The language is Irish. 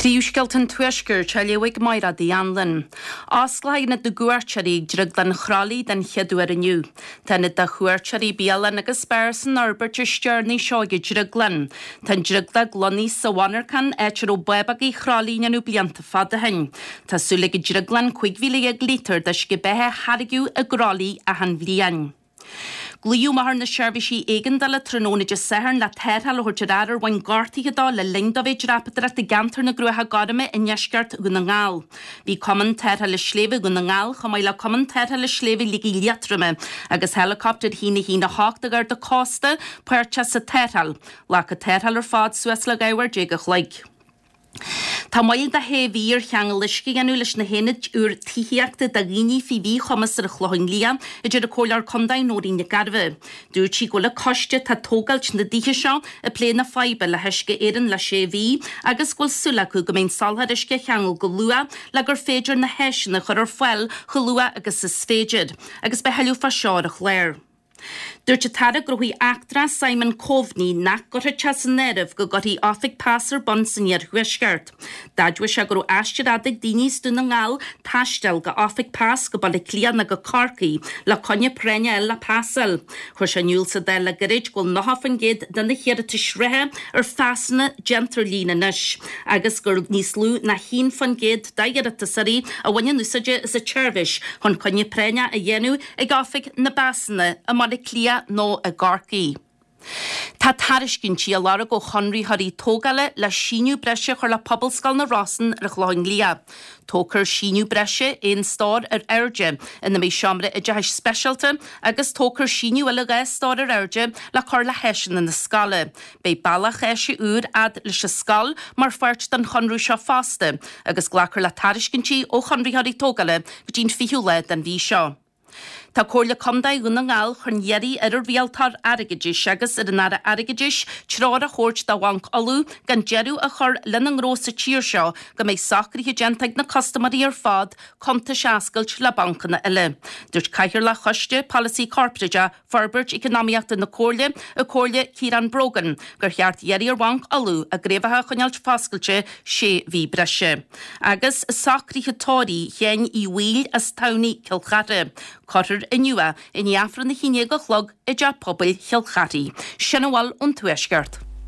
Príomhscéalta an Tuaiscirt á léamh ag Mairéad Uí Anluain. Osclóidh Ionad na gCuairteoirí ag Drioglann Chroithlí den chéad uair inniu. Tá ionad do chuairteoirí, bialann agus beár san fhorbairt is deireanaí seo ag an drioglann. Tá an drioglag lonnaithe sa mhonarchan, áit a raibh bábógaí Chroithlí á ndéanamh blianta fada ó shin. Tá súil ag an drioglann 15,000 lítear d'uisce beatha a tháirgeadh i gCroithlí achan bhliain. Glaodh amach ar na seirbhísí éigeandála tráthnóna Dé Sathairn le tarrtháil a thabhairt ar fhear ar bhain gortuithe dó le linn dó bheith ag dreapadóireacht i gceantar na gCruacha Gorma i ndeisceart Dhún na nGall. Bhí Cumann Tarrthála Sléibhe Dhún na nGall chomh maith le Cumann Tarrthála Sléibhe Shligigh Liatroma agus héileacaptar 1 1 8 de Gharda Cósta páirteach sa tarrtháil. Ghlac an tarrtháil ar fad suas le 12 uair a chloig. Tá moill de shé mhí ar cheangal uisce a dhéanamh leis na haonaid úr tithíochta do dhaoine faoi mhíchumas ar an Chlochán Liath, a deir an Comhairleoir Contae Nóirín Nic Gairbheith. Dúirt sí go bhfuil an coiste atá ag tógáilt na dtithe seo ag plé na faidhbe le hUisce Éireann le sé mhí agus go bhfuil súil acu go mbeidh an soláthar uisce á cheangal go luath le gur féidir na háiseanna a chur ar fáil chomh luath agus is féidir. Agus beidh thuilleadh fá seo ar an chlár. Dúirt an tAire Gnóthaí Eachtracha Simon Coveney nach gcuirfeadh sé san áireamh go gcuirfí oifig pas ar bun san iarthuaisceart. D'admhaigh sé go raibh aistear fhada ag daoine as Dún na nGall taisteal go oifig pas go Baile Átha Cliath nó go Corcaigh le coinne práinne a fháil le pas a fháil. Chuir sé in iúl sa Dáil le gairid go bhfuil 90% de na hiarratais reatha ar phasanna déanta ar líne anois agus gur níos lú ná 1% d'iarratasóirí a bhaineann úsáid as an tseirbhís chun coinne práinneach a dhéanamh ag oifig na bpasanna i mBaile Átha Cliath nó i gCorcaigh. Tá tairiscintí á lorg ó chonraitheoirí tógála le síneadh breise a chur le Pobalscoil na Rosann ar an Chlochán Liath. Tógfar síneadh breise aon stór ar airde ina mbeidh seomra oideachais speisialta agus tógfar síneadh eile 2 stór ar airde le cur le háiseanna na scoile. Beidh bealach áise úr fhad leis an scoil mar pháirt den chonradh seo fosta agus glacfar le tairiscintí ó chonraitheoirí tógála go dtí'n 20ú lá den mhí seo. Tá Comhairle Contae Dhún na nGall chun iarraidh ar an Rialtóir Airgeadais agus ar an Aire Airgeadais treoir a thabhairt do Bhanc Uladh gan deireadh a chur lena ngnó sa tír seo go mbeidh socruithe déanta ag na custaiméirí ar fad cuntais a oscailt le bancanna eile. Dúirt Cathaoirleach Choiste Polasaí Corparáideach Forbairt Eacnamaíochta na Comhairle, an Comhairle Ciarán Brogan, gur cheart iarraidh ar Bhanc Uladh a gcraobhacha a choinneáilt foscailte sé mhí breise. Agus socruithe tórraimh Sheáin Uí Bhaoill as Tamhnaigh, Cill Chartha. Cuirfear inniu é i ndiaidh Aifreann a haon déag a chlog i dTeach Pobail Chill Charthaigh. Sin a bhfuil ón Tuaisceart.